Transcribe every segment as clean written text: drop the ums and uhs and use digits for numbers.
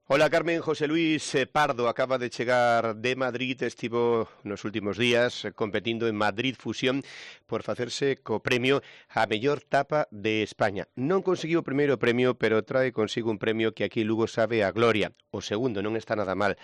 Hola Carmen, José Luis Pardo acaba de chegar de Madrid, estivo nos últimos días competindo en Madrid Fusión por facerse co premio a mellor tapa de España. Non conseguiu o primeiro premio, pero trae consigo un premio que aquí Lugo sabe a gloria. O segundo non está nada mal.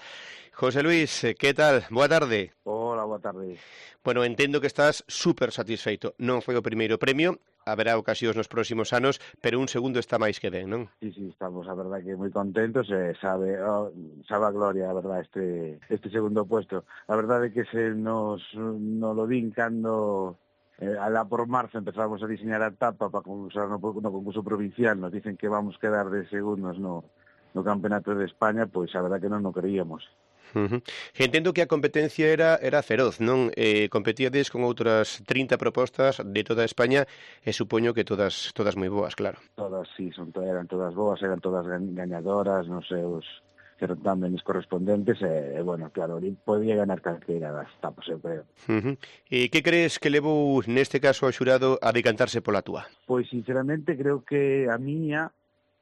José Luis, que tal? Boa tarde. Hola, boa tarde. Bueno, entendo que estás súper satisfeito. Non foi o primeiro premio, haberá ocasións nos próximos anos, pero un segundo está máis que ben, non? Sí, estamos, a verdad que moi contentos, sabe a gloria, a verdad, este segundo puesto. A verdade é que nos lo din cando alá por marzo empezamos a diseñar a etapa para concursar no concurso provincial, nos dicen que vamos quedar de segundos no Campeonato de España, pois a verdad que non creíamos. Entendo que a competencia era feroz, non? Competíades con outras 30 propostas de toda España e supoño que todas moi boas, claro. Todas, sí, eran todas boas, eran todas gañadoras nos seus certámenes correspondentes bueno, claro, podía ganar calquera das etapas, eu creo. E que crees que levou neste caso ao xurado a decantarse pola túa? Pois, sinceramente, creo que a miña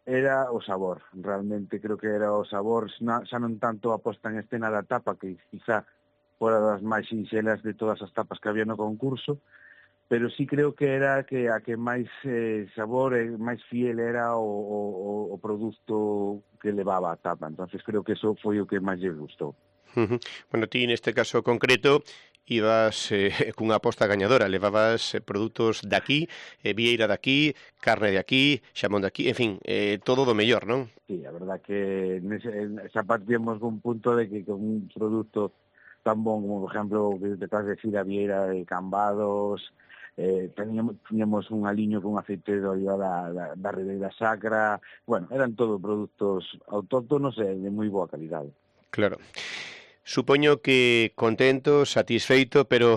era o sabor. Realmente creo que era o sabor, xa non tanto a posta en escena da tapa, que quizá fora das máis sinxelas de todas as tapas que había no concurso, pero sí creo que era que a que máis sabor e máis fiel era o produto que levaba a tapa. Entonces creo que eso foi o que máis lle gustou. Bueno, ti neste caso concreto ibas cunha aposta gañadora, levabas produtos daqui, vieira daqui, carne de aquí, xamón de aquí, en fin, todo do mellor, non? Sí, a verdad que xa partíamos dun punto de que con un produto tan bon como, por exemplo, que detrás de decir a vieira de Cambados, tiñamos un aliño con aceite de oliva da Ribeira Sacra, bueno, eran todo produtos autóctonos e de moi boa calidade. Claro. Supoño que contento, satisfeito, pero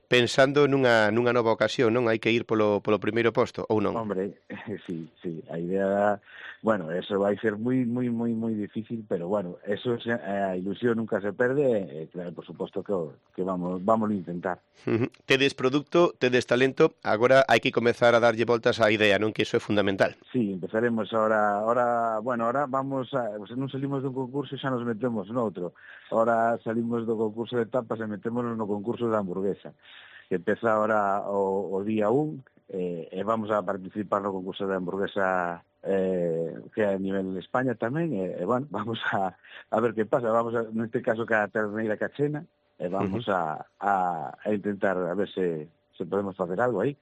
pensando nunha nova ocasión, non? Hai que ir polo primeiro posto, ou non? Hombre, sí, a idea, bueno, eso vai ser moi difícil, pero bueno, eso a ilusión nunca se perde, claro, por suposto que vamos a intentar. Tedes produto, tedes talento, agora hai que comezar a darlle voltas á idea, non? Que iso é fundamental. Sí, empezaremos ahora vamos non salimos dun concurso e xa nos metemos noutro. Ahora salimos do concurso de tapas e metémonos no concurso da hamburguesa, que empeza ahora o día 1, e vamos a participar no concurso de hamburguesa que é a nivel de España tamén, e bueno, vamos a ver que pasa, neste caso que a terneira cachena, e vamos a intentar a ver se podemos facer algo aí.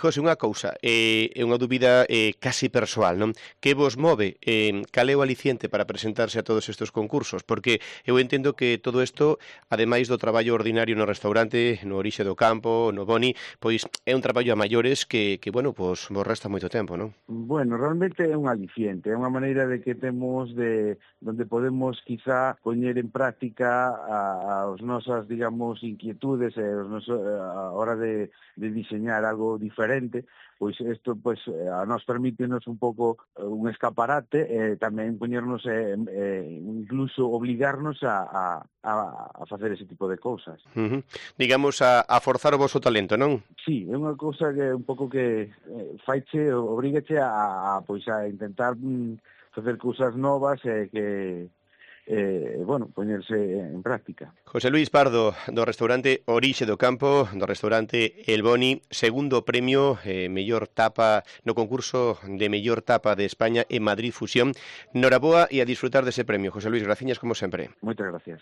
José, unha cousa, é unha dúbida casi persoal, non? Que vos move? Cal é o aliciente para presentarse a todos estes concursos? Porque eu entendo que todo isto, ademais do traballo ordinario no restaurante, no Orixe do Campo, no Boni, pois é un traballo a maiores que bueno, pois vos resta moito tempo, non? Bueno, realmente é un aliciente, é unha maneira de que temos donde podemos quizá poñer en práctica as nosas, digamos, inquietudes e a hora de diseñar algo diferente, pois isto pois a nos permítenos un pouco un escaparate e tamén poñernos incluso obligarnos a facer ese tipo de cousas. Digamos, a forzar o voso talento, non? Sí, é unha cousa que un pouco que obrigache pois a intentar facer cousas novas e que bueno, poñerse en práctica. José Luis Pardo, do restaurante Orixe do Campo, do restaurante El Boni, segundo premio, mellor tapa no concurso de mellor tapa de España en Madrid Fusión. Noraboa e a disfrutar dese premio. José Luis, graciñas como sempre. Moitas gracias.